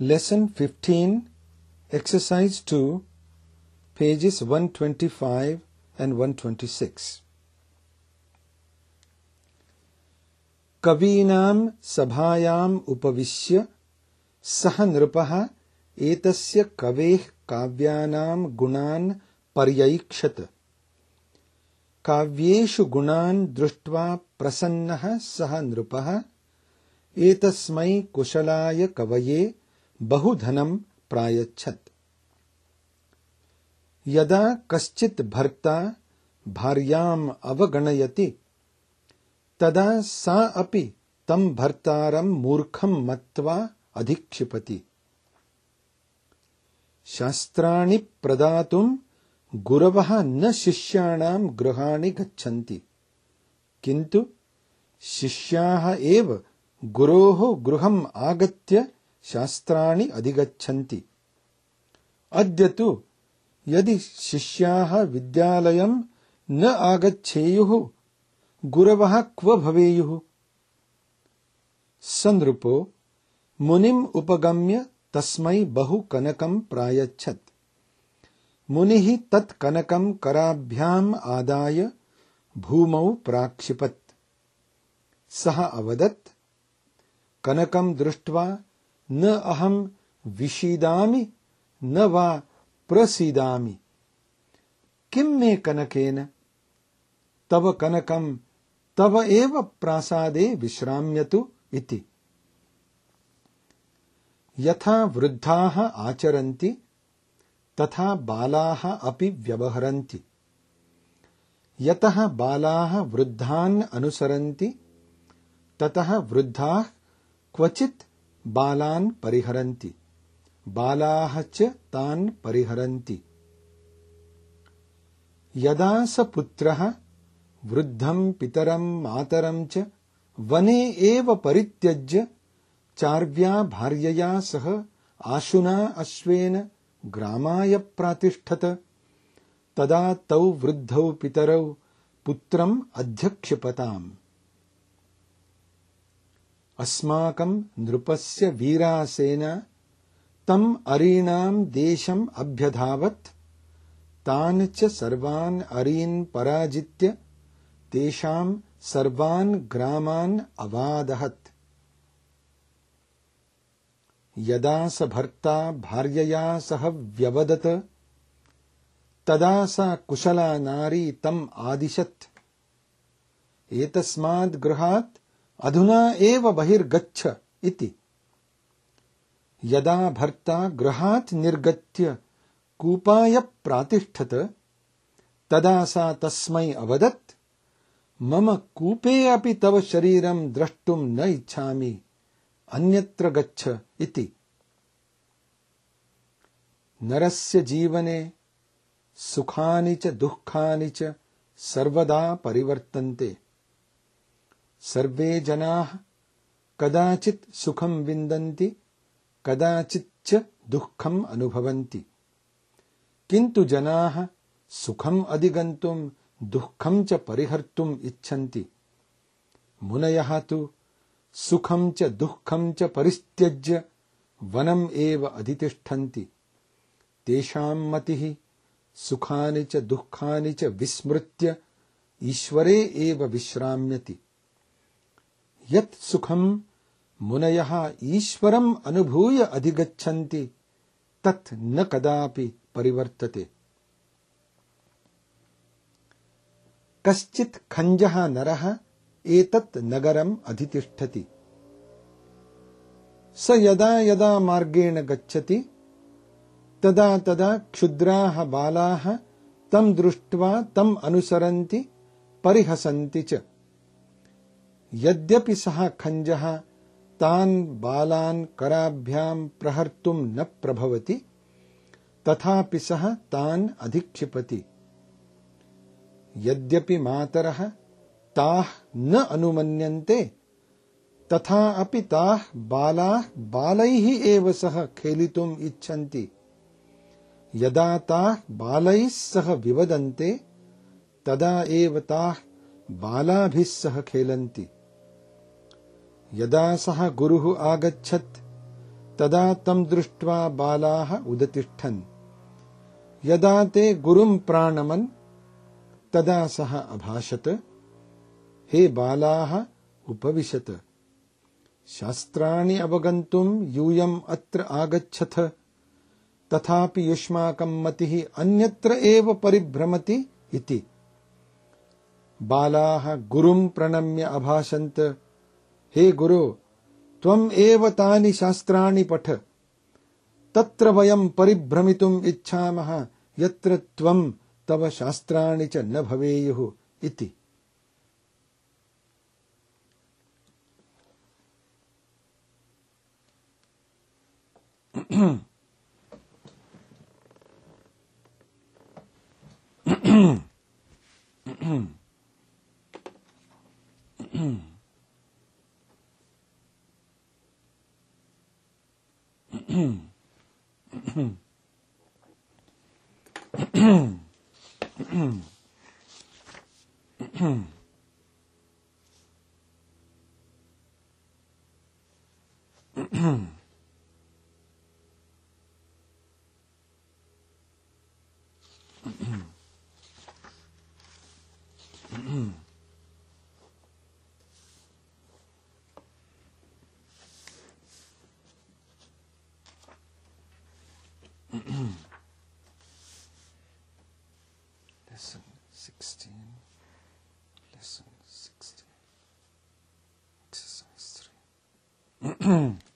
Lesson 15, Exercise 2, pages 125 and 126. कवीनां सभायाम् उपविश्य सः नृपः एतस्य कवेः काव्यानां गुणान् पर्यैक्षत। काव्येषु गुणान् दृष्ट्वा प्रसन्नः सः नृपः एतस्मै कुशलाय कवये बहुधनं प्रायच्छत्। यदा कश्चित् भर्ता भार्याम् अवगणयति तदा सा अपि तं भर्तारं मूर्खं मत्वा अधिक्षिपति। शास्त्राणि प्रदातुं गुरवः न शिष्याणां गृहाणि गच्छन्ति, किन्तु शिष्याः एव गुरोः गृहम् आगत्य शास्त्राणि अधिगच्छन्ति। अद्य तु यदि शिष्याः विद्यालयं न आगच्छेयुः गुरवः क्व भवेयुः। स नृपो मुनिम् उपगम्य तस्मै बहु कनकं प्रायच्छत्। मुनिः तत् कनकं कराभ्याम् आदाय भूमौ प्राक्षिपत्। सः अवदत्, कनकं दृष्ट्वा न अहं विषीदामि न वा प्रसीदामि। किं मे कनकेन? तव कनकं तव एव प्रासादे विश्राम्यतु इति। यथा वृद्धाः आचरन्ति तथा बालाः अपि व्यवहरन्ति। यतः बालाः वृद्धान् अनुसरन्ति ततः वृद्धाः क्वचित् बालान् परिहरन्ति, बालाः च तान् परिहरन्ति। यदा स पुत्रः वृद्धं पितरं मातरं च वने एव परित्यज्य चार्व्या भार्यया सह आशुना अश्वेन ग्रामाय प्रातिष्ठत, तदा तौ वृद्धौ पितरौ पुत्रम् अध्यक्षिपताम्। अस्माकं नृपस्य वीरासेना तम् अरीणां देशम् अभ्यधावत्, तान् च सर्वान् अरीन् पराजित्य तेषां सर्वान् ग्रामान् अवादहत्। यदा स भर्ता भार्यया सह व्यवदत तदा सा कुशला नारी तम् आदिशत्, एतस्माद् गृहात् अधुना एव बहिर्गच्छ इति। यदा भर्ता गृहात् निर्गत्य कूपाय प्रातिष्ठत तदा सा तस्मै अवदत्, मम कूपे अपि तव शरीरं द्रष्टुं न इच्छामि, अन्यत्र गच्छ इति। नरस्य जीवने सुखानि च दुःखानि च सर्वदा परिवर्तन्ते। सर्वे जनाः कदाचित् सुखं विन्दन्ति, कदाचित् च दुःखम् अनुभवन्ति, किन्तु जनाः सुखम् अधिगन्तुं दुःखं च परिहर्तुम् इच्छन्ति। मुनयः तु सुखं च दुःखं च परित्यज्य वनम् एव अधितिष्ठन्ति। तेषां मतिः सुखानि च दुःखानि च विस्मृत्य ईश्वरे एव विश्राम्यति। यत् सुखं मुनयः ईश्वरम् अनुभूय अधिगच्छन्ति तत् न कदापि परिवर्तते। कश्चित् खञ्जः नरः एतत् नगरम् अधितिष्ठति। स यदा यदा मार्गेण गच्छति तदा तदा क्षुद्राः बालाः तं दृष्ट्वा तम् अनुसरन्ति, परिहसन्ति च। यद्यपि सः खञ्जः तान् बालान् कराभ्यां प्रहर्तुं न प्रभवति, तथापि सः तान् अधिक्षिपति। यद्यपि मातरः ताः न अनुमन्यन्ते तथा अपि ताः बालाः बालैः एव सह खेलितुम् इच्छन्ति। यदा ताः बालैः सह विवदन्ते तदा एव ताः बालाभिः सह खेलन्ति। यदा सः गुरुः आगच्छत् तदा तं दृष्ट्वा बालाः उदतिष्ठन्। यदा ते गुरुं प्राणमन् तदा सः अभाषत, हे बालाः उपविशत। शास्त्राणि अवगन्तुं यूयम् अत्र आगच्छथ, तथापि युष्माकं मतिः अन्यत्र एव परिभ्रमति इति। बालाः गुरुं प्रणम्य अभाषन्त, हे गुरो, त्वम् एव तानि शास्त्राणि पठ, तत्र वयं परिभ्रमितुम् इच्छामः यत्र त्वं तव शास्त्राणि च न भवेयुः इति। Lesson 16, Lesson 16, Exercise 3.